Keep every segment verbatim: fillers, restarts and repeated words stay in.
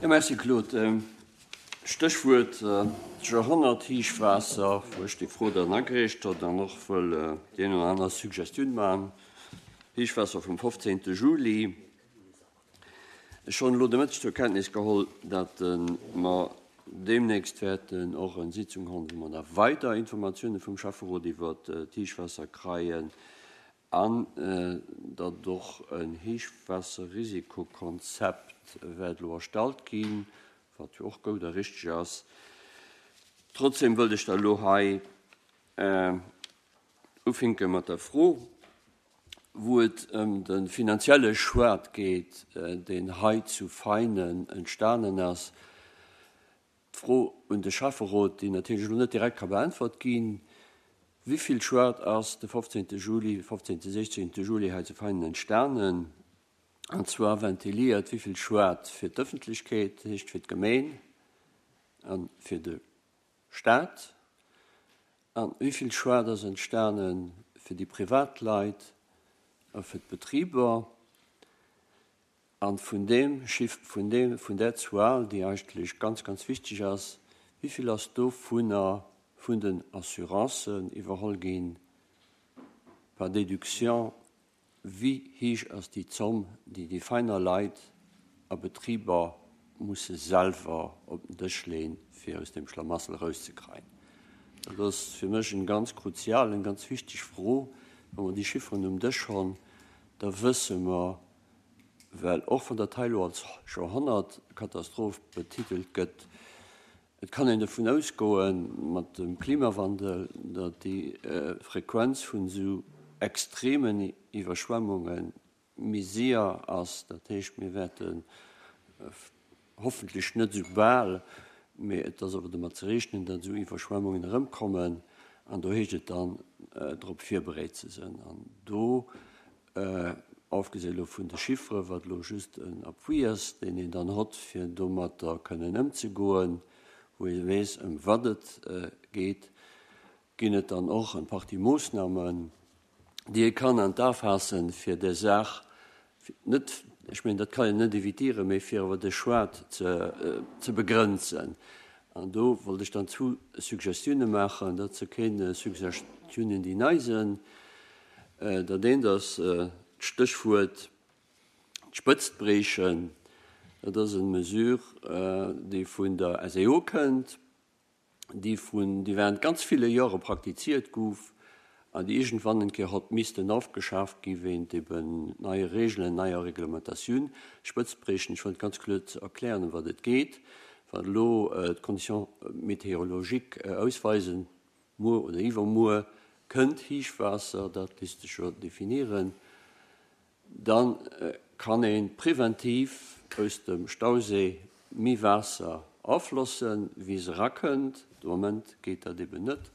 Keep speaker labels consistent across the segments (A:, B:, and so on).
A: Jo, merci Claude. Stéchwuert Joerhonnerthéichwaasser, wou ech déi Fro dann agereecht hott an och wëll déi eng oder aner Suggestioun maachen. Héichwaasser vum fofzéngte Juli. Ech hunn elo de Mëtteg zur Kenntnis geholl, datt mer deemnächst wäerten och eng Sitzung hunn, wou mer da weider Informatioune vum Schäfferot iwwert d'Héichwaasser kreien an datt och en Héichwaasserrisikokonzept wäert elo erstallt ginn, wat jo och goud a richteg ass. Trotzdem wëllt ech da elo hei ufinke mat der Fro, wou et ëm de finanzielle Schued geet, deen hei zu Veinen entstanen ass. D'Fro un de Schäfferot, déi natierlech elo net direkt ka beäntwert ginn: Wéi vill Schued ass de fofzéngte Juli, fofzéngte, sechzéngte Juli hei zu Veinen entstanen? An zwar ventiliert, wéi vill Schued fir d'Ëffentlechkeet, dat heescht fir d'Gemeen a fir de Staat, an wéi vill Schued ass entstane fir déi Privatleit a fir d'Betriber. An vun deem Chiff, vun deem, vun där Zuel, déi eigentlech ganz, ganz wichteg ass, wéi vill ass dovunner vun den Assurancen iwwerholl ginn, par déduction, wéi héich ass déi Zomm, déi déi feiner Leit a Betriber musse selwer op den Dësch leen, fir aus deem Schlamassel erauszekreien? Dat ass fir mech eng ganz kruzial, eng ganz wichteg Fro. Wa mer déi Chifferen um Dësch hunn, da wësse mer, well och wann dat hei elo als Joerhonnertkatastroph betitelt gëtt, et kann een dovun ausgoen, mat dem Klimawandel, datt déi Frequenz vun esou extremen Iwwerschwemmunge méi séier ass. Dat heescht, mir wäerten hoffentlech net esou bal, mee et ass awer domat ze rechnen, datt esou Iwwerschwemmungen erëmkommen. An do heescht et dann, drop virbereet ze sinn. An do, ofgesi elo vun de Chiffere, wat elo just en Appui ass, deen een dann hott, fir domatter kënnen ëmzegoen, wou ee weess, ëm wat et geet, ginn et dann och eng Partie Moossnamen, déi ee kann an d'A faassen, fir där Saach net, ech mengen, dat kann een net évitieren, mee fir awer de Schued ze begrenzen. An do wollt ech dann zwou Suggestiounen maachen. Dat si keng Suggestiounen, déi nei sinn. Dat eent ass d'Stéchwuert d'Spëtzt briechen. Dat ass eng Mesure, déi vun der S E O kënnt, déi vun, déi während ganz ville Jahre praktiziert gouf an déi iergendwann eng Kéier hott missten ofgeschaaft gi wéint eben neie Regeln, neier Reglementatioun. Spëtzt briechen, ech wollt ganz kloer erklären, ëm wat et geet. Wann elo d'Conditions météorologiques ausweisen, muer oder iwwermuer kënnt Héichwaasser, dat léisst sech jo definieren, dann kann ee preventiv aus dem Stausee méi Waasser aflossen, wéi se erakënnt. De Moment geet dat eben net.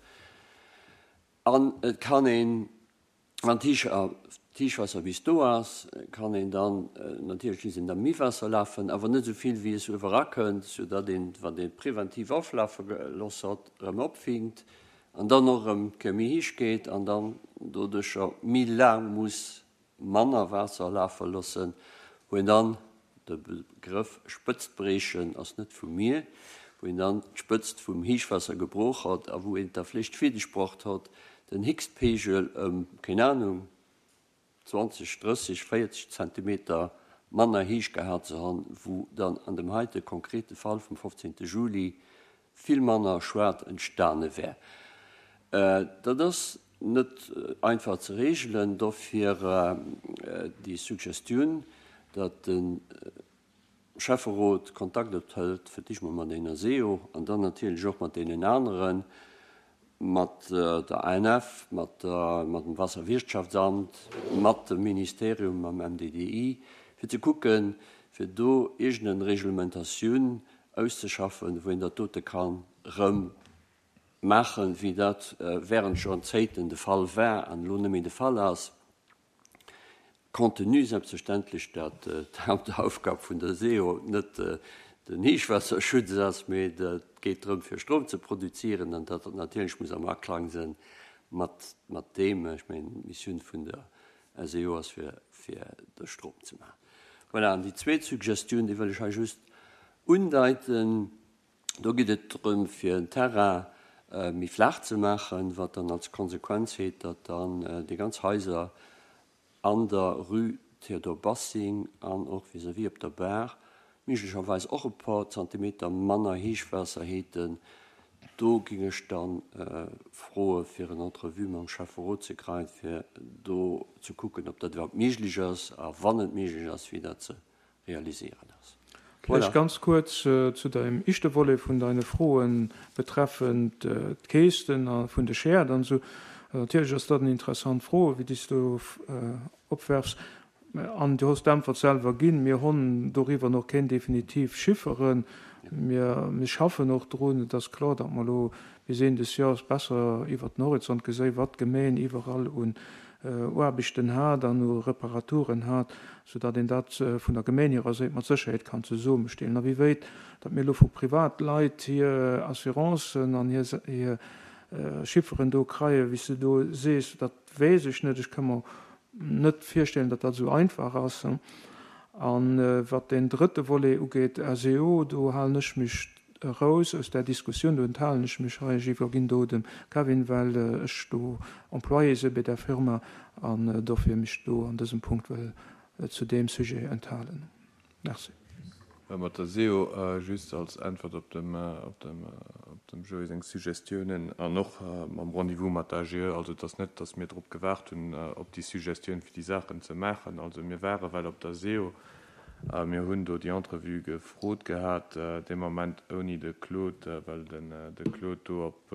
A: An et kann een, wann d'Héichwaasser bis do ass, kann een dann natierlech léisst een da méi Waasser lafen, awer net esou vill, wéi es uewer erakënnt, soudatt een, wann ee preventiv aflafe gelooss hat, erëm opfinkt an dann och erëm d'Kéier méi héich geet an dann doduercher méi laang muss manner Waasser lafe loossen, wou een dann, de Begrëff Spëtzt briechen ass net vu mir, wou een dann d'Spëtzt vum Héichwaasser gebrooch hat a wou een et da vläicht fierdeg bruecht hat, den Héchstpegel ëm, keen Anung, zwanzeg, drësseg, véierzeg Zentimeter manner héich gehat ze han, wou dann an dem heite konkrete Fall vum fofzéngte Juli vill manner Schued entstane wär. Dat ass net einfach ze regelen, dofir déi Suggestioun, datt de Schäfferot Kontakt ophëlt, fir d'éischt mol mat deene S E O an dann natierlech och mat deenen aneren, mat der A N F, mat der, mat dem Wasserwirtschaftsamt, mat dem Ministerium, mam M D D I, fir ze kucken, fir do iergendeng Reglementatioun auszeschaffen, wou een dat dote kann rëm maachen, wéi dat während Joerzéngten de Fall war an elo net méi de Fall ass. Compte tenu selbstverständlech, datt d'Hauptaufgab vun der S E O net den Héichwaasserschutz ass, mee et geet drëm, fir Strom ze produzieren an dat natierlech muss am Aklang sinn mat, mat deem, ech mengen, d'Missioun vun der S E O ass, fir, fir de Strom ze maachen. Voilà, an déi zweet Suggestioun, déi wëll ech hei just undeiten. Do geet et drëm, fir en Terrain méi flaach ze maachen, wat dann als Konsequenz huet, datt dann déi ganz Haiser an der Rue Théodore Bassing an och vis-à-vis op der Baach méiglecherweis och e puer Zantimeter manner Héichwaasser häten. Do géing ech dann froe fir en Entrevue mam Schäfferot ze kreien, fir do ze kucken, ob dat iwwerhaupt méiglech ass a wann et méiglech ass, wéi dat ze realiséieren ass.
B: Vläicht ganz kuerz zu deem éischte Volet vun deine Froen betreffend d'Käschten vun de Schäerd an esou. Natierlech ass dat eng interessant Fro, wéi déi s du opwerfs. An du hues d'Äntwert selwer ginn. Mir hunn doriwwer nach keng definitiv Chifferen. Mir, mir schaffen och drun. Et ass kloer, datt mer elo bis Enn des Jahres besser iwwert den Horizont geséi wat d'Gemeng iwwerall un Aarbechten hat an u Reparaturen hat, soudatt een dat vun der Gemeng hirer Säit mat Sécherheet kann zesummestellen. A wéi wéit datt mir elo vu Privatleit hir Assurancen an hir, hir Chifferen do kreien, wéi s du do sees, dat weess ech net. Ech ka mer net virstellen, datt dat esou einfach ass. A wat deen drëtte Volet ugeet, S E O, do halen ech mech eraus aus där Diskussioun, do enthalen ech mech hei. Ech iwwerginn do dem Kevin, well ech do Employé si bei där Firma an dofir mech do an dësem Punkt wëll zu deem Sujet enthalen. Merci.
C: Mat der S E O, just als Äntwert op dem, op dem, op dem Joé seng Suggestiounen an och mam Rendez-vous mat der A G E, also et ass net, datt mir drop gewaart hunn, op déi Suggestioun fir déi Saachen ze maachen. Also mir ware well op der S E O, mir hunn do déi Entrevue gefrot gehat, dee Moment ouni de Claude, well den de Claude do op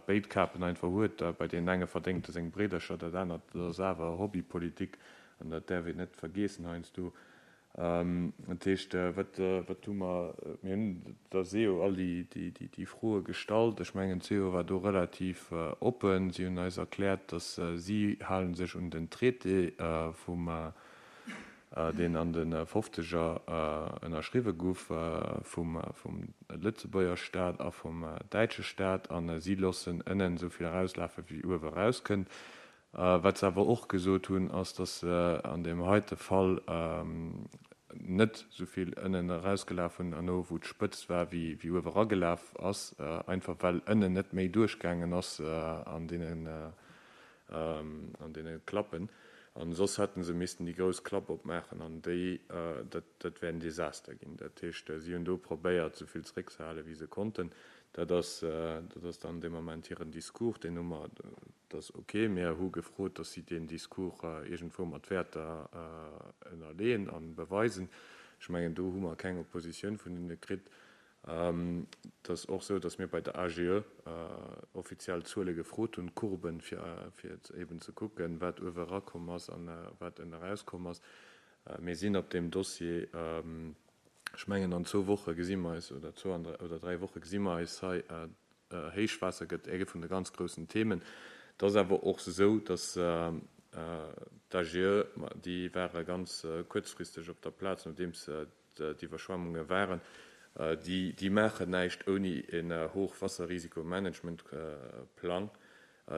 C: béid Kapen einfach huet. Bei deenen enge verdéngt e seng Bréidercher, dat anert dat ass awer Hobbypolitik an dat däerf een net vergeessen heiansdo. Dat heescht, wat wat hu mer, mir hunn der S E O all déi déi déi Froe gestallt. Ech mengen, d'S E O war do relativ oppen. Si hunn eis erkläert, datt si hale sech un den Traité vum deen an de Fofzeger ënnerschriwwe gouf vum vum Lëtzebuerger Staat a vum däitsche Staat, a si loossen ënnen esou vill erauslafe wéi uewe erauskënnt. Wat se awer och gesot hunn, ass, datt se an deem heite Fall net esou vill ënnen erausgelaf hunn herno wou d'Spëtzt war, wéi wéi uewe eragelaf ass, einfach well ënnen net méi duerchgaangen ass an deenen an deene Klappen. An soss hätte se missten déi grouss Klapp opmaachen an déi dat dat wär en Desaster ginn. Dat heescht, si hunn do probéiert, esou vill zeréckzehalen, wéi se konnten. Dat ass dat ass dann dee Moment hiren Discours, deen hu mer, dat ass ok. Mir hu gefrot, datt si deen Discours iergendwou mat Wäerter ënnerleeën a beweisen. Ech mengen, do hu mer keng Oppositioun vun hinne kritt. Et ass och esou, datt mir bei der A G E offiziell Zuele gefrot hunn, Courben, fir fir eben ze kucken, wat uewe erakomm ass a wat ënne erauskomm ass. Mir sinn op deem Dossier, ech mengen an zwou Woche gesi mer eis, oder zwou oder dräi Woche gesi mer eis hei. Héichwaasser gëtt ee vun de ganz groussen Themen. Et ass awer och esou, datt d'A G E, déi ware ganz kuerzfristeg op der Plaz, nodeems d'Iwwerschwemmunge waren, déi déi maachen näischt ouni en Hochwasserrisikomanagementplang.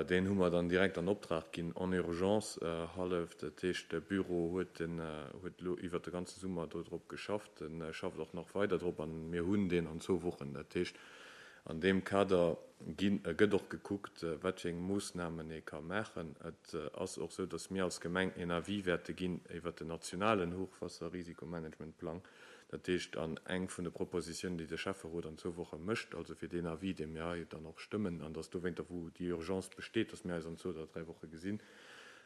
C: Deen hu mer dann direkt an Optrag ginn, en urgence hallef. Dat heescht, de Büro huet den huet elo iwwert de ganze Summer do drop geschafft, en schafft och nach weider drop an mir hunn deen an zwou Wochen. Dat heescht, an deem Kader ginn gëtt och gekuckt, wat fir eng Moossnamen ee ka maachen. Et ass och esou, datt mir als Gemeng en Avis wäerte ginn iwwert den nationalen Hochwasserrisikomanagementplang. Dat heescht, an eng vun de Propositiounen, déi de Schäfferot an zwou Woche mécht, also fir deen Avis, dee mir hei dann och stëmmen, an datt dowéinter, wou déi Urgence besteet, datt mir eis an zwou oder dräi Woche gesinn,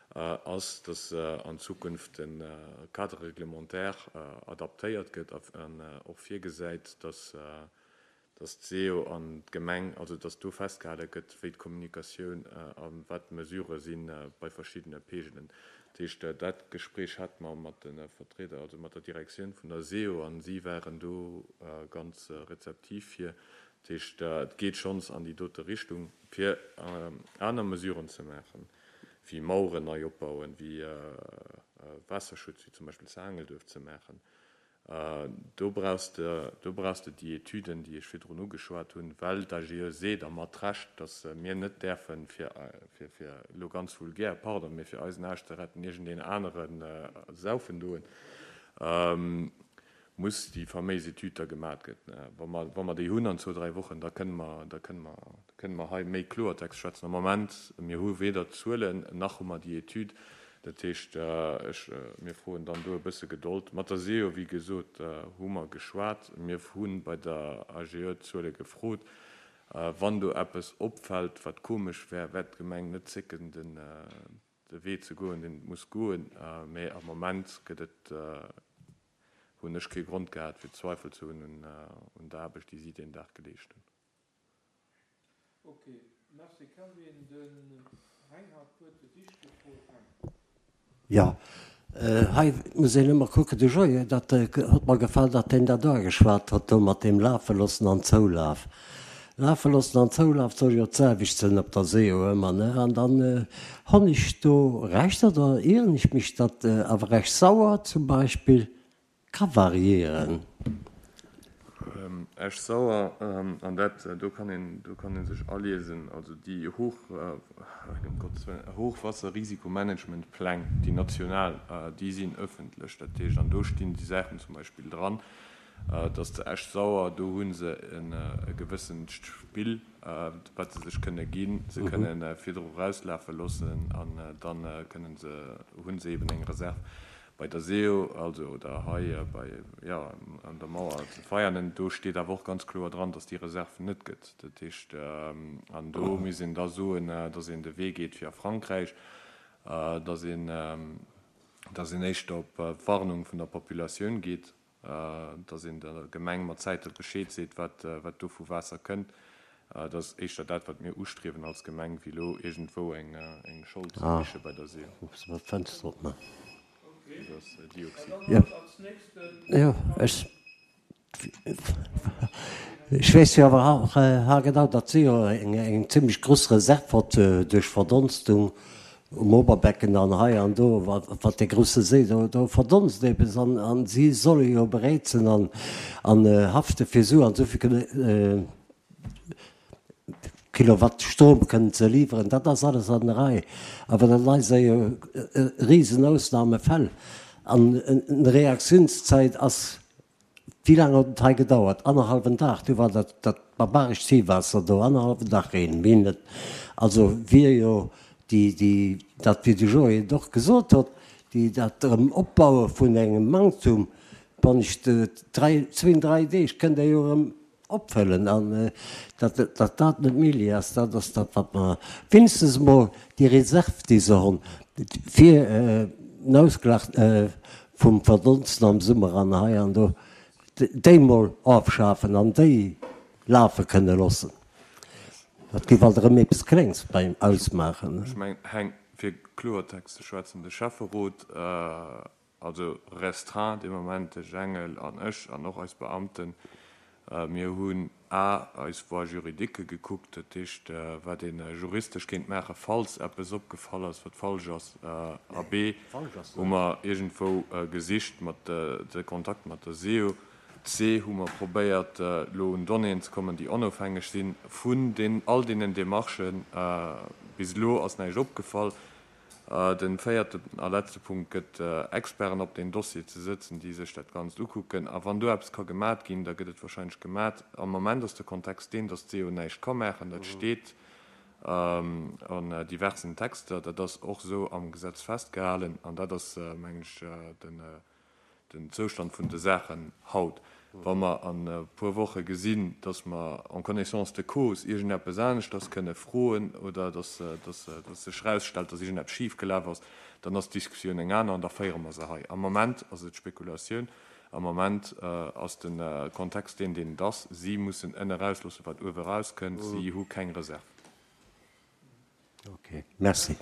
C: ass, datt an Zukunft de Cadre réglementaire adaptéiert gëtt an och virgesäit, datt datt d'SEO an d'Gemeng, also datt do festgehale gëtt, wéi d'Kommunikatioun a wat d'Mesurë si bei verschiddene Peegelen. Dat heescht, dat Gespréich hate mer mat de Vertrieder, also mat der Direktioun vun der S E O, a si waren do ganz rezeptiv fir. Dat heescht, et geet schonns an déi dote Richtung, fir aner Mesuren ze maachen, wéi Maueren nei opbauen, wéi Waasserschutz, wéi zum Beispill zu Aangelduerf ze maachen. Do brauchs de, do brauchs de déi Etüden, déi ech virdrun ugeschwat hunn, well d'A G E seet, a mat Recht, datt mir net däerfen, fir, fir, fir elo ganz vulgär, pardon, mee fir eisen Aarsch ze retten, iergendeen anere saufen doen. muss déi faméis Etüd da gemat gëtt. Wa mer, wa mer déi hunn an zwou, dräi Wochen, da kënne mer, da kënne mer, da kënne mer hei méi Kloertext schwätzen. Am Moment, mir hu weder d'Zuelen nach hu mer déi Etüd. Dat heescht, ech, mir froen dann do e bësse Gedold. Mat der SEO, wéi gesot, hu mer geschwat. Mir hu bei der AGE d'Zuele gefrot. Wann do eppes opfält, wat komesch wär, wäert d'Gemeng net zécken, den, de Wee ze goen, deen et muss goen. Mä am Moment gëtt et, hunn ech kee Grond gehat, fir Zweifel ze hunn un der Aarbecht, déi si deen Dag geleescht hunn.
B: Ok, merci Kelvin. Den Heng hat d'Wuert fir d'éischt gefrot. Heng.
A: Jo, hei muss een ëmmer kucken, de Joé, dat huet mer gefall, datt deen dat ugeschwat huet do mat deem Lafe loossen an Zoulaf. Lafe loossen an Zoulaf soll jo d'selwecht sënn op der SEO ëmmer, ne? An dann honn ech do Recht oder ieren ech mech, datt awer Esch-Sauer zum Beispill ka variieren?
C: Esch-Sauer, an dat do kann een, do kann ee sech aliesen, also déi Hoch, ëm Gottes Wëllen, Hochwasserrisikomanagementpläng, déi national, déi sinn öffentlech. Dat heescht, an do stinn déi Saachen zum Beispill dran, dass zu Esch-Sauer, do hu se e gewëssent Spill, wat se sech kënne ginn. Se kënne virdru erauslafe loossen an da kënne se, hu se eben eng Reserv. Bei der SEO, also, oder hei bei, jo, an der Mauer zu Veianen, do steet awer och ganz kloer dran, dass déi Reserv net gëtt. Dat heescht, an do misst een da soen, dass een de Wee geet fir a Frankräich, dass een, dass een éischter op d'Warnung vun der Populatioun geet, dass een der Gemeng mat Zäite Bescheed seet, wat, wat do vu Waasser kënnt. Dat ass éischter dat, wat mir ustriewen als Gemeng, wéi elo iergendwou eng, eng Schold ze siche bei der SEO.
A: Jo, ech weess jo awer och haargenau, datt si jo eng zimlech grouss Reserv hott duerch Verdonstung um Oberbecken an hei an do, wat dee grousse Séi do, do verdonst eppes an si solle jo bereet sinn an hafte fir esou an esou vill Kilowatt Strom kënnen ze liwweren, dat ass alles an der Rei. Awer dat hei si jo risen Ausnahmefäll. An eng Reaktiounszäit ass, wéi laang huet et hei gedauert? Annerhallwen Dag, du war dat dat barbarescht Ziehwaasser do, annerhallwen Dag Reen, méi net. Also wier jo déi, déi, dat wéi de Joé et och gesot huet, déi dat erëm opbaue vun engem Manktum, wann ech dräi, zwee, dräi Deeg kënnt Der jo erëm Opfëllen an datt datt dat net méiglech ass, dat ass dat wat mer wéinstens emol déi Reserv déi se hunn fir den Ausglach vum Verdonsten am Summer an hei an do, déi emol ofschafen an déi lafe kënne loossen. Dat géif alt erëm eppes Klengs beim Ausmaachen.
C: Ech mengen, Heng, fir Kloertext ze schwätzen, de Schäfferot, also restreint dee Moment, de Jengel an ech an och eis Beamten, Mir hunn a eis Voies juridiques gekuckt, dat heescht, wat ee juristesch kéint maachen, falls eppes opgefall ass, wat falsch ass, a b hu mer iergendwou gesicht mat de Kontakt mat der SEO, c hu mer probéiert, elo un Donnéeën ze kommen, déi onofhängeg sinn vun all deenen Demarchen. Bis elo ass näischt opgefall. Den véierten a letzte Punkt gëtt, Experten op deen Dossier ze sëtzen, déi sech dat Ganzt ukucken. A wann do eppes ka gemat ginn, da gëtt et wahrscheinlech gemat. Am Moment ass de Kontext deen, dass d'SEO näischt ka maachen. Dat steet an diversen Texter. Dat ass och esou am Gesetz festgehalen. An dat ass, mengen ech, den den Zoustand vun de Saachen haut. Wa mer an e puer Woche gesinn, dass mer en connaissance de cause iergendeppes aneschters kënne froen oder dass sech erausstellt, dass iergendeppes schifgelaf ass, dann ass d'Diskussioun eng aner an da féiere mer se hei. Am Moment ass et Spekulatioun. Am Moment ass de Kontext deen, deen et ass. Si mussen ënne erausloossen, wat uewe erauskënnt. Si hu keng Reserv.
A: Ok, merci.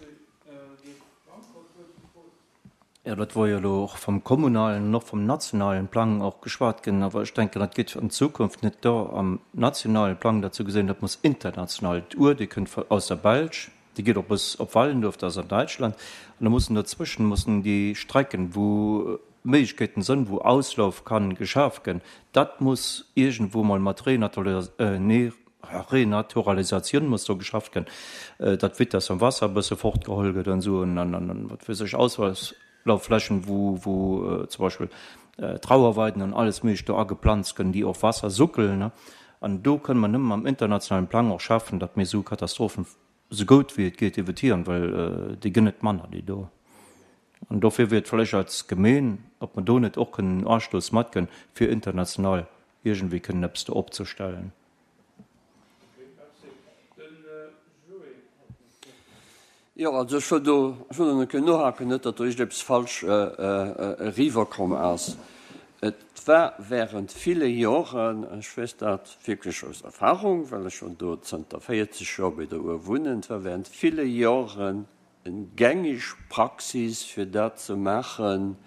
D: Jo, dat wor jo elo och vom kommunalen an och vom nationalen Plang och geschwat ginn. Awer ech denken, dat geet an Zukunft net do am nationalen Plang dat ze gesinn, dat muss international. D'Our, déi kënnt aus der Belsch, déi geet och bis op Wallendorf, dat ass an Däitschland. An da mussen dozwëschen mussen déi Strecken, wou Méiglechkeeten sënn, wou Auslauf kann geschaf gënn, dat muss iergendwou mol mat Renaturalisatioun muss do geschafft gënn, datt d'Vitesse am Wasser e bësse fortgeholl gëtt an esou an an wat weess ech, Auslaufflächen, wou wou zum Beispill Trauerweiden an alles Méiglecht do ageplanzt gënn, déi och Wasser suckelen. An do kënne mer nëmmen am internationalen Plang och schaffen, datt mir esou Katastrophen esou goud wéi et geet évitieren, well déi gënn net manner, déi do. An dofir wier et vläicht als Gemeen, ob mer do net och kënnen en Astouss matgënn, fir international iergendwéi kënnen eppes do opzestellen.
A: Jo, also ech wëll do, ech wëll do nach eng Kéier nohaken, net datt do iergendeppes falsch eriwwerkomm ass. Et war während ville Joren, ech weess dat wierklech aus Erfahrung, well ech schonn do zënter véierzeg Joer bei der Our wunnen, et war während ville Joren eng gängig Praxis fir dat ze maachen,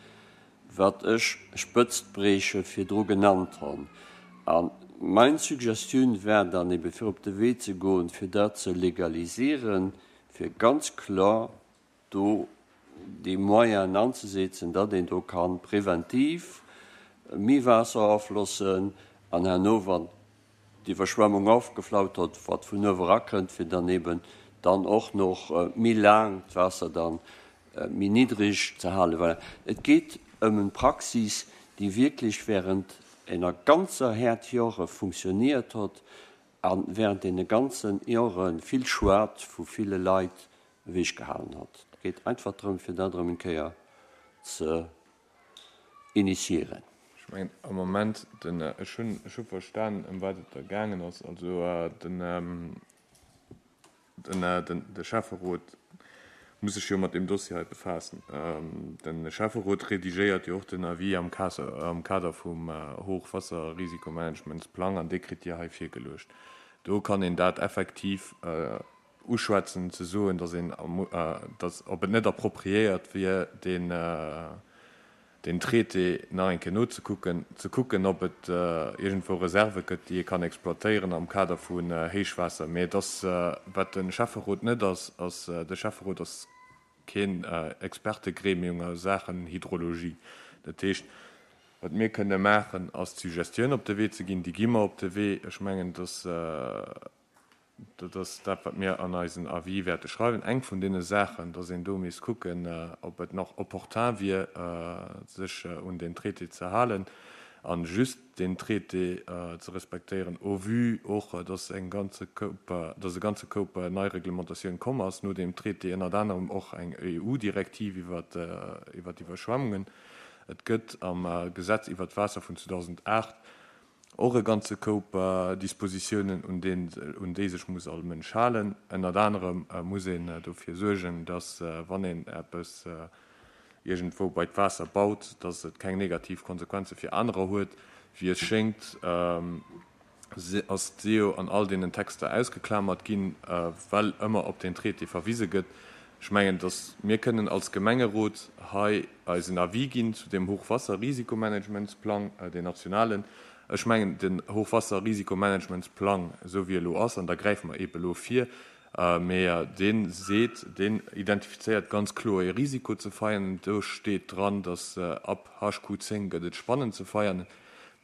A: wat ech Spëtztbreeche virdru genannt honn. A mein Suggestioun war dann ebe fir op de Wee ze goen, fir dat ze legalisieren, fir ganz kloer do déi Moyenen anzesetzen, datt een do ka preventiv méi Waasser aflossen an herno, wann d'Iwwerschwemmung ofgeflaut huet, wat vun uewe erakënnt, fir dann eben dann och nach méi laang d'Waasser dann méi niddreg ze halen. Voilà. Et geet ëm eng Praxis, déi wierklech während enger ganzer Häerd Jore funktioniert huet a während deene ganzen Jore vill Schued vu ville Leit ewechgehalen huet. Et geet einfach drëm, fir dat erëm eng Kéier ze initiieren.
C: Ech mengen am Moment, den, ech hunn, ech hu verstan, ëm wat et da gaangen ass. Also den, den, den, de Schäfferot muss sech jo mat deem Dossier hei befaassen. De Schäfferot redigéiert jo och den Avis am am Kader vum Hochwasserrisikomanagementsplang an dee kritt Dir hei virgeluecht. Do kann een dat effektiv uschwätzen, ze soen, datt een, datt, ob et net appropriéiert wier, deen, deen Traité nach eng Kéier nozekucken, ze kucken, ob et iergendwou Reserve gëtt, déi ee kann exploitéieren am Kader vun Héichwaasser. Mee et ass, wat de Schäfferot net ass, ass, de Schäfferot ass keen Expertegremium a Saachen Hydrologie. Dat heescht, wat mir kënne maachen, ass d'Suggestioun op de Wee ze ginn. Déi gi mer op de Wee. Ech mengen, dass dat ass dat, wat mir an eisen Avis wäerte schreiwen. Eng vun deene Saachen, dass een do misst kucken, ob et nach opportun wier, sech un deen Traité ze halen a just deen Traité ze respektéieren, au vu och, dass eng ganze Koup, dass e ganze Koup nei Reglementatioun komm ass no deem Traité, ënnert anerem och eng E U-Direktiv iwwer d'Iwwerschwemmungen. Et gëtt am Gesetz iwwer d'Waasser vun zweedausendacht och e ganze Koup Dispositiounen, un deen, un déi sech muss all Mënsch halen. Ënnert anerem muss een dofir suergen, dass, wann een eppes iergendwou bei d'Waasser baut, dass et keng negativ Konsequenze fir anerer huet. Wéi et schéngt, ass d'SEO an all deenen Texter ausgeklamert ginn, well ëmmer op deen Traité verwise gëtt. Ech mengen, dass mir kënnen als Gemengerot hei eisen Avis ginn zu deem Hochwasserrisikomanagementsplang, deen nationalen. Ech mengen, den Hochwasserrisikomanagementsplang, esou wéi e lo ass, an da gräife mer eebe lo vir, mee dee seet, deen identifizéiert ganz kloer ee Risiko ze feiern. Do steet dran, dass ab H Q zéng gëtt et spannend ze feiern.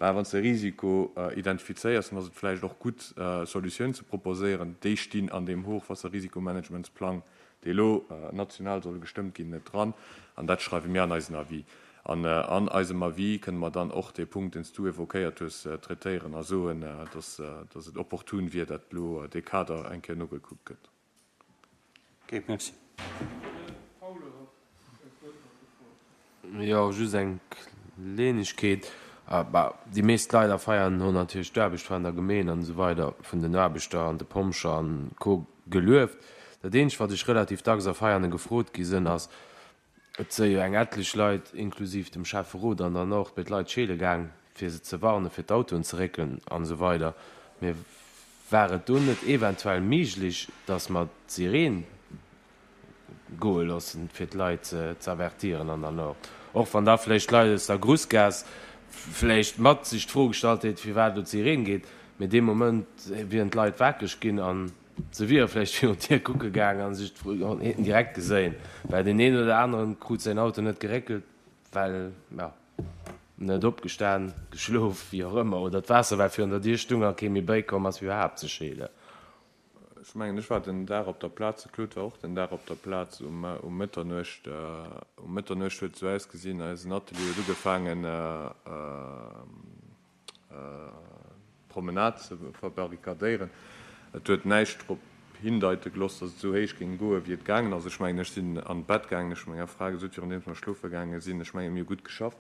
C: Mä wann s de Risiko identifizéiers, dann ass et vläicht och gutt, Solutioun ze proposéieren. Déi stinn an deem Hochwasserrisikomanagementsplang, dee lo national soll gestëmmt ginn, net dran. An dat schreiwe mir an eisen Avis. An an eisem Avis kënne mer dann och dee Punkt, deen s du évoquéiert hues, traitéieren a soen, dass dass et opportun wier, dat elo dee Kader eng Kéier nogekuckt gëtt.
A: Ok, merci.
E: Jo, just eng Kleenegkeet. Déi meescht Leit a Veianen hunn natierlech d'Aarbecht vun der Gemeen an esou weider vun den Aarbechter an de Pompjer an Co. Gelueft. Dat eenzegt, wat ech relativ dacks a Veianen gefrot gi sinn, ass, Et si jo eng etlech Leit, inklusiv dem Schäfferot an dann och bei d'Leit scheele gaang, fir se ze warnen, fir d'Autoen ze réckelen an esou weider. Mee war et do net eventuell méiglech, dass mer d'Sireen goe loossen, fir d'Leit ze avertieren an der Nord? Och wann da vläicht d'Leit aus der Grussgaass vläicht mat sech d'Fro gestallt hätten, firwat elo d'Sireen geet. Mee dee Moment wieren d'Leit wakereg ginn an Se wiere vläicht virun d'Dier kucke gaang a sech d'Häten direkt geséin, well deen een oder aneren krut säin Auto net geréckelt, well, jo, net opgestan, geschlof, wéi och ëmmer, oder d'Waasser war virun der Dier stung a kee méi bäikomm ass fir iwwerhaapt ze scheelen.
C: Ech mengen, ech war den Dag op der Plaz, de Claude war och den Dag op der Plaz um um Mëtternuecht. Um Mëtternuecht huet et esou ausgesinn, eisen Atelier huet ugefaangen d'Promenade ze verbarrikadéieren. Et huet näischt drop hindeite gelooss, datt et esou héich géing goen, wéi et gaangen ass. Ech mengen, ech sinn an d'Bett gaangen, ech hu menger Fra gesot, virun deems mer schlofe gaange sinn, ech mengen, mir hu gutt geschafft.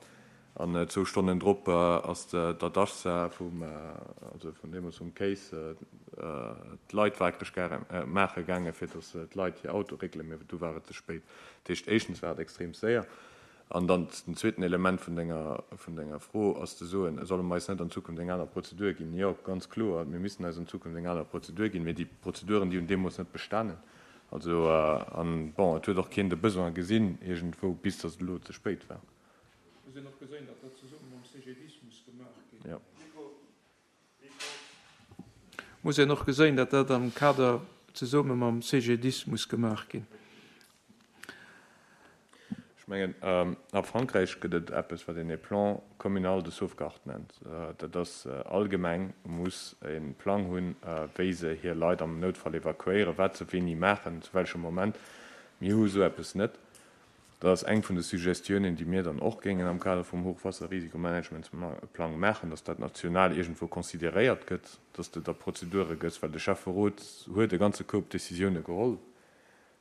C: An zwou Stonnen drop ass der Dachsa vum, also vun deemools vum Kéis, d'Leit waakreg maache gaange fir datt d'Leit hir Auto réckelen, mee du war et ze spéit. Dat heescht, éischtens war et extrem séier. An dann den zweeten Element vun denger, vun denger Fro ass ze soen, solle mer eis net an Zukunft eng aner Prozedur ginn? Jo, ganz kloer, mir missten eis an Zukunft eng aner Prozedur ginn, mee déi Prozeduren, déi hunn deemools net bestanen. Also, an bon, et huet och keen de Besoin gesinn iergendwou, bis datt et elo ze spéit war.
B: Muss een och geséin, datt dat zesumme mam CGDIS muss gemaach ginn. Muss een och geséin, datt dat am Kader zesumme mam CGDIS muss gemaach ginn.
C: Ech mengen, a Frankräich gëtt et eppes, wat een e Plan communal de sauvegarde nennt. Dat ass, all Gemeng muss e Plang hunn, wéi se hir Leit am Noutfall evakuéieren, wat se wéini maachen, zu welchem Moment. Mir hu esou eppes net. Dat ass eng vun de Suggestiounen, déi mir dann och géingen am Kader vum Hochwasserrisikomanagementsplang maachen, dass dat national iergendwou consideréiert gëtt, dass de da Prozedure gëss, well de Schäfferot huet e ganze Koup Décisioune geholl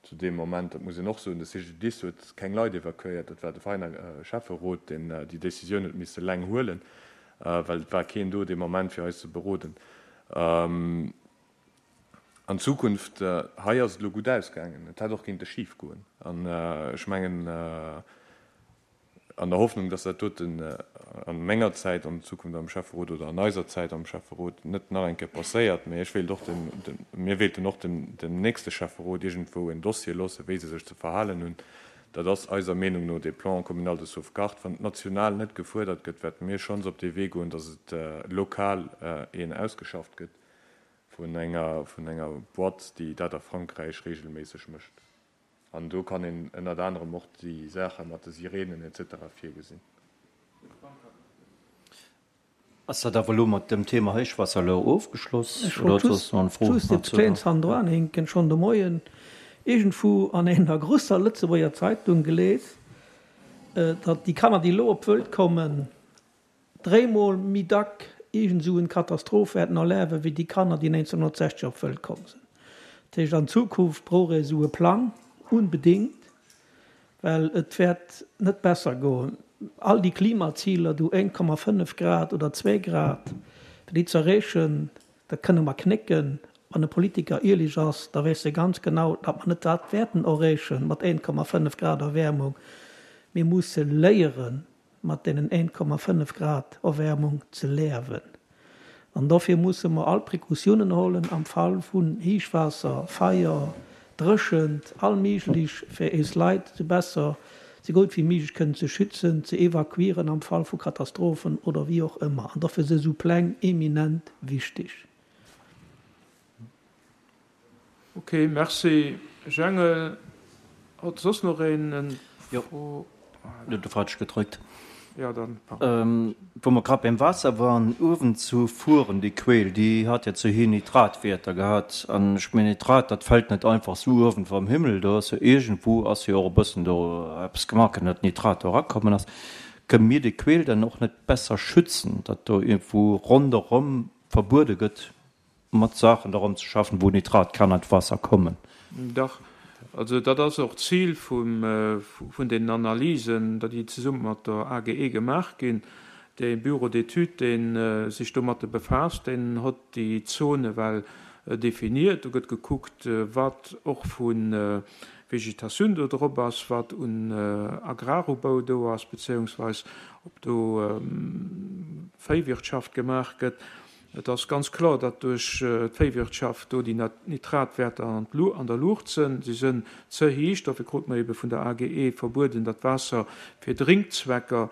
C: zu deem Moment. Dat muss een och soen. De CGDIS huet keng Leit evakuéiert, dat war de Veiner Schäfferot, deen déi Décisioun huet misse eleng huelen, well et war keen do dee Moment, fir eis ze beroden. An Zukunft, hei ass et elo gutt ausgaangen, et hätt och kéinte schif goen. An ech mengen, an der Hoffnung, dass dat doten a menger Zäit an Zukunft am Schäfferot oder an eiser Zäit am Schäfferot net nach eng Kéier passéiert, mä ech wéilt och dem, mir wéilten och dem, dem nächste Schäfferot iergendwou en Dossier loossen, wéi se sech ze verhalen hunn. Dat ass eiser Meenung no dee Plan communal de sauvegarde. Wann et national net gefuerdert gëtt, wäerte mir schonns op dee Wee goen, dass et lokal een ausgeschafft gëtt. Vun enger, vun enger Boîte, déi dat a Frankräich regelméisseg mécht. An do kann een ënnert anerem och déi Saache mat de Sirenen et cetera virgesinn.
D: Ass dat awer elo mat dem Thema Héichwaasser elo ofgeschloss
F: Ech
D: oder
F: wollt
D: hutt soss
F: just,
D: nach eng Fro
F: just eppes
D: dozou?
F: Kléngs hannendran hinken. Schonn de Moien iergendwou an enger grosser Lëtzebuerger Zeitung gelies, datt déi Kanner, déi elo op d'Wëlt kommen, dréimol méi dack iergend esou en Katastroph wäerten erlewen, wéi déi Kanner, déi néinzehnhunnertsechzeg op d'Wëlt komm sinn. Dat heescht, an Zukunft brauch ee esou e Plang unbedéngt, well et wäert net besser goen. All déi Klimaziler do, éint Komma fënnef Grad oder zwee Grad, fir déi ze erreechen, dat kënne mer knécken. Wann e Politiker ierlech ass, da weess e ganz genau, datt mer net dat wäerten erreechen mat éint Komma fënnef Grad Erwäermung. Mir musse léieren, mat deenen éint Komma fënnef Grad Erwäermung ze leawen. An dofir musse mer all Precautiounen hollen am Fall vun Héichwaasser, Feier, Dréchent, all méiglech, fir eis Leit esou besser, esou gutt wéi méiglech kënnen ze schützen, ze evakuieren am Fall vu Katastrophen oder wéi och ëmmer. An dofir si esou Pläng eminent wichteg.
B: Ok, merci Jangel. Hott soss noch een en
D: Jo,
B: Fro?
D: du falsch gedrückt.
B: Ja, dann pardon.
D: Wou mer grad beim Waasser waren, uewen zu Furen, déi Queel, déi hat jo ze héi Nitratwäerter gehat. An ech mengen, Nitrat, dat fält net einfach sou uewen vam Himmel, do ass jo iergendwou ass jo och e bëssen do eppes gemaach ginn, datt Nitrat do erakommen ass. Kënne mir déi Queel dann och net besser schützen, datt do iergendwou ronderëm verbuede gëtt, mat Saachen dorëm ze schaffen, wou Nitrat kann an d'Waasser kommen?
B: Dach, also dat ass och d'Zil vun deenen Analysen, déi zesumme mat der A G E gemaach ginn. Dee Bureau d'études, dee sech domatte befaasst, deen huet déi Zone well definiert. Do gëtt gekuckt, wat och vu Vegetatioun do drop ass, wat un Agrarubau do ass, beziehungsweise ob do Véiwirtschaft gemaach gëtt. Et ass ganz kloer, datt duerch d'Véiwirtschaft do déi Nitratwäerter an der Luucht sënn. Si sënn ze héich. Dofir krut mer ebe vun der A G E verbueden, dat Waasser fir Drinkzwecker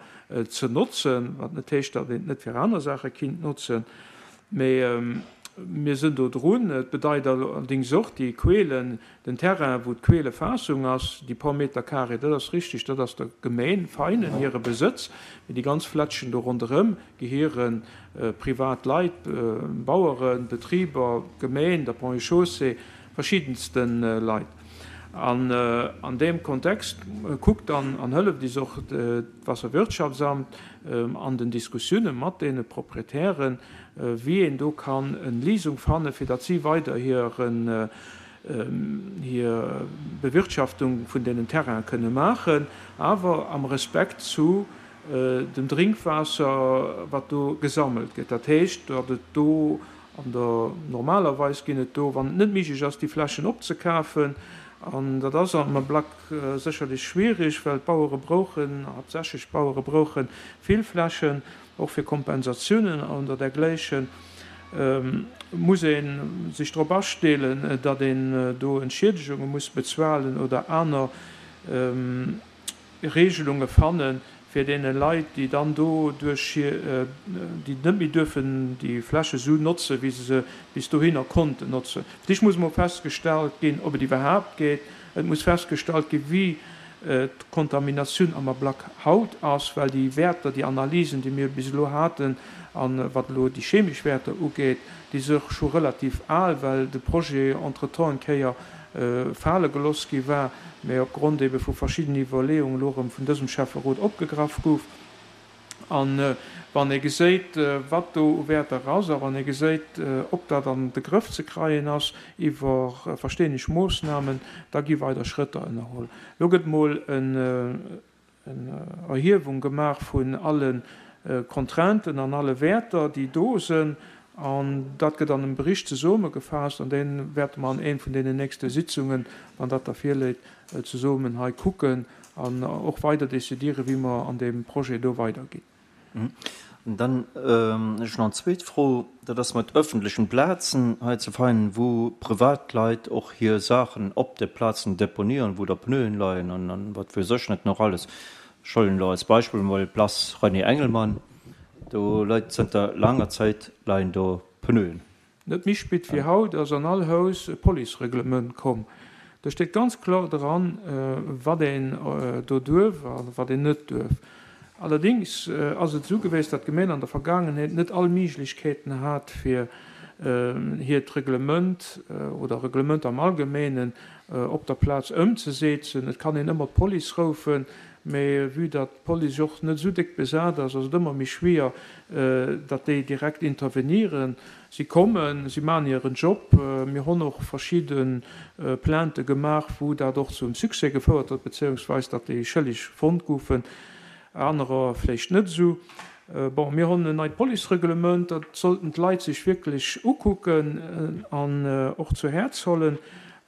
B: ze notzen, wat net heescht, datt een et net fir aner Saache kinnt notzen. Mee mir sënn do drun. Et bedeit allerdings och, déi Quelen, den Terrain, wou d'Quelefaassung ass, déi paar Meter carré, dat ass richtig, dat ass der Gemeen Veinen hire Besëtz, mee déi ganz Flätschen do ronderëm gehiere privat Leit, Baueren, Betriber, Gemeen, der Ponts et Chaussées. verschiddenste Leit. An an deem Kontext kuckt dann an hëlleft is och d'Wasserwirtschaftsamt an den Diskussioune mat deene Proprietären, wéi een do kann en Léisung fanne fir datt si weider hiren hir Bewirtschaftung vun deenen Terrainen kënne maachen, awer am Respekt zu dem Drénkwaasser, wat do gesammelt gëtt. Dat heescht, datt et do an der, normalerweis ginn et do, wann et net méiglech ass, déi Flächen opzekafen, an dat ass am Ablack sécherlech schwierig, well d'Bauere brauchen, haaptsächlech d'Bauere brauche vill Flächen, och fir Kompensatiounen an der dergläichen, muss ee sech drop asteelen, datt een do Entschiedegunge muss bezuelen oder aner Regelunge fannen, fir deene Leit, déi dann do duerch hir, déi net méi duerfen déi Fläche sou notzen, wéi se se bis dohinner konnten notzen. Fir d'éischt muss emol festgestallt ginn, ob et iwwerhaapt geet. Et muss festgestallt ginn, wéi d'Kontaminatioun am Ablack haut ass, well déi Wäerter, déi Analysen, déi mir bis elo haten, a wat elo déi chemesch Wäerter ugeet, déi si scho relativ al, well de Projet entretemps eng Kéier fale geloss gi war, mä opgrond ebe vu verschiddenen Iwwerleeungen elo erëm vun dësem Schäfferot opgegraff gouf. A wann ee geséit, wat do u Wäerter ass, a wann ee geséit, ob dat an de Grëff ze kreien ass iwwer verstänneg Moossnamen, da gi weider Schrëtter ënnerholl. Elo gëtt mol en Erhiewung gemaach vun alle Contrainten an alle Wäerter, déi do sënn, an dat gëtt an engem Bericht zesummegefasst, an dee wäerte mer an een vun deenen nächste Sitzungen, wann dat da virléit, zesummen hei kucken an och weider décidieren, wéi mer an deem Projet do weiderginn.
D: An dann hunn ech nach eng zweet Fro, dat ass mat öffentlechen Plazen hei zu Veinen, wou Privatleit och hir Saachen op de Plazen deponieren, wou da Pneuen leien an wat weess ech net nach alles. Ech huelen elo als Beispill emol d'Place René Engelmann, do leit zënter laanger Zäit leien do Pneuen.
B: Net méi spit wéi haut ass an all Haus e Policereglement komm. Do steet ganz kloer dran, wat een do duerf a wat een net duerf. Allerdings ass et esou geweest, datt d'Gemeen an der Vergaangenheet net all Miiglechkeeten hat, fir hiert Reglement oder Reglement am Allgemeenen op der Plaz ëmzeseetzen. Et kann een ëmmer d'Police roufen, mee vue datt d'Police och net esou déck besat ass, ass et ëmmer méi schwier, datt déi direkt intervenieren. Si kommen, si maachen hiren Job. Mir honn och verschidde Plaintë gemaach, wou dat och zum Succès gefouert huet, beziéungsweis datt déi Schëlleg fonnt goufen, anerer vläicht net esou. Bon, mir honn en neit Policereglement, dat sollten d'Leit sech wierklech ukucken an och zu Häerz hollen,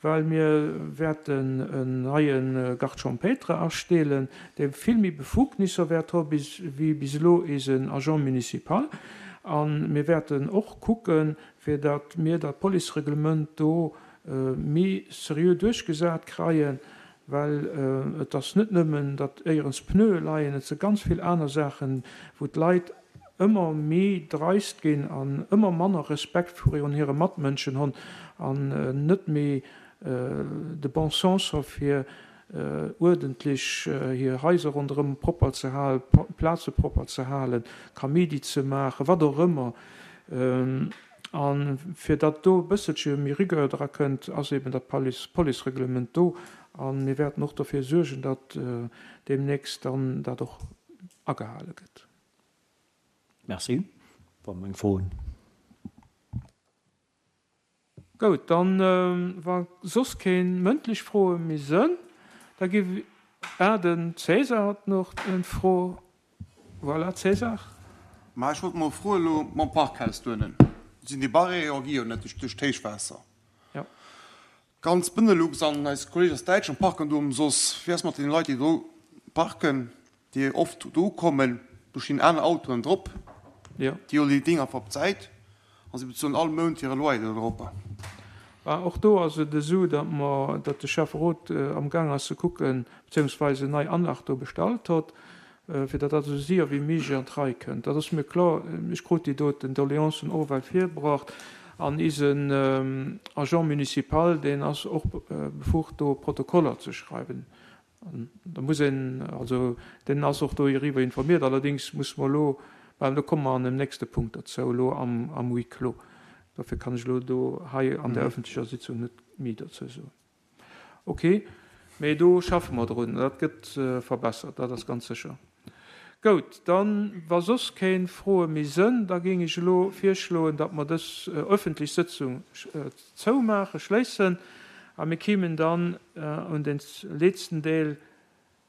B: well mir wäerten en neie Garde champêtre asteelen, dee vill méi Befugnisser wäert hu wéi bis elo eisen Agent municipal. A mir wäerten och kucken, fir datt mir dat Policereglement do méi seriö duerchgesat kreien, well et ass net nëmmen, datt éierens Pneue leien, et si ganz vill aner Saachen, wou d'Leit ëmmer méi dreist ginn an ëmmer manner Respekt virun hire Matmënschen hunn an net méi de bon sens hu fir uerdentlech hir Haiser ronderëm propper ze halen, Plaze propper ze halen, Kaméidi ze maachen, wat och ëmmer. A fir datt do e bësselche méi Rigueur dra kënnt, ass eben dat Policereglement do. A mir wäerten och dofir suergen, datt deemnächst dann dat och agehale gëtt.
D: Merci. War meng Froen.
B: Goud, dann, wa soss keen mëndlech Froe méi sënn, da gi. Ah, den César hat nach eng Fro. Voilà, César.
G: Ma ech wollt mol froen, elo mam Parkhaus duenen, sinn déi Barrièrë gi jo net duerch d'Héichwaasser.
B: Jo.
G: Ganz Benelux an eis Kolleegen aus Däitschland parken do ëmsoss. Wéi ass mat deene Leit, déi do parken, déi oft do ukommen, do stinn aner Autoen drop,
B: Jo.
G: déi huelen déi Ding einfach op d'Säit a si bezuelen all Mount hire Loyer do drop.
B: Bah, och do ass et esou, datt mer, datt de Schäfferot amgaang ass ze kucken, beziéungsweis en nei Anlag do bestallt hott, fir datt dat esou séier wéi méiglech an d'Rei kënnt. Dat ass mir kloer. Ech krut déi doten Doleancen och ewell virbracht an isen Agent municipal, deen ass och befugt do Protokoller ze schreiwen. An da muss een, also deen ass och doiriwwer informiert. Allerdéngs muss mer elo, well do komme mer an dem nächste Punkt derzou, elo am, am Huis clos. Dofir kann ech elo do hei an der öffentlecher Sitzung net méi dozou soen. Ok, mee do schaffe mer drun, dat gëtt verbessert, dat ass ganz sécher. Gout, dann, wa soss keng Froe méi sënn, da géing ech elo virschloen, datt mer dës öffentlech Sëtzung zoumaachen, schléissen, a mir kéimen dann un den letzten Deel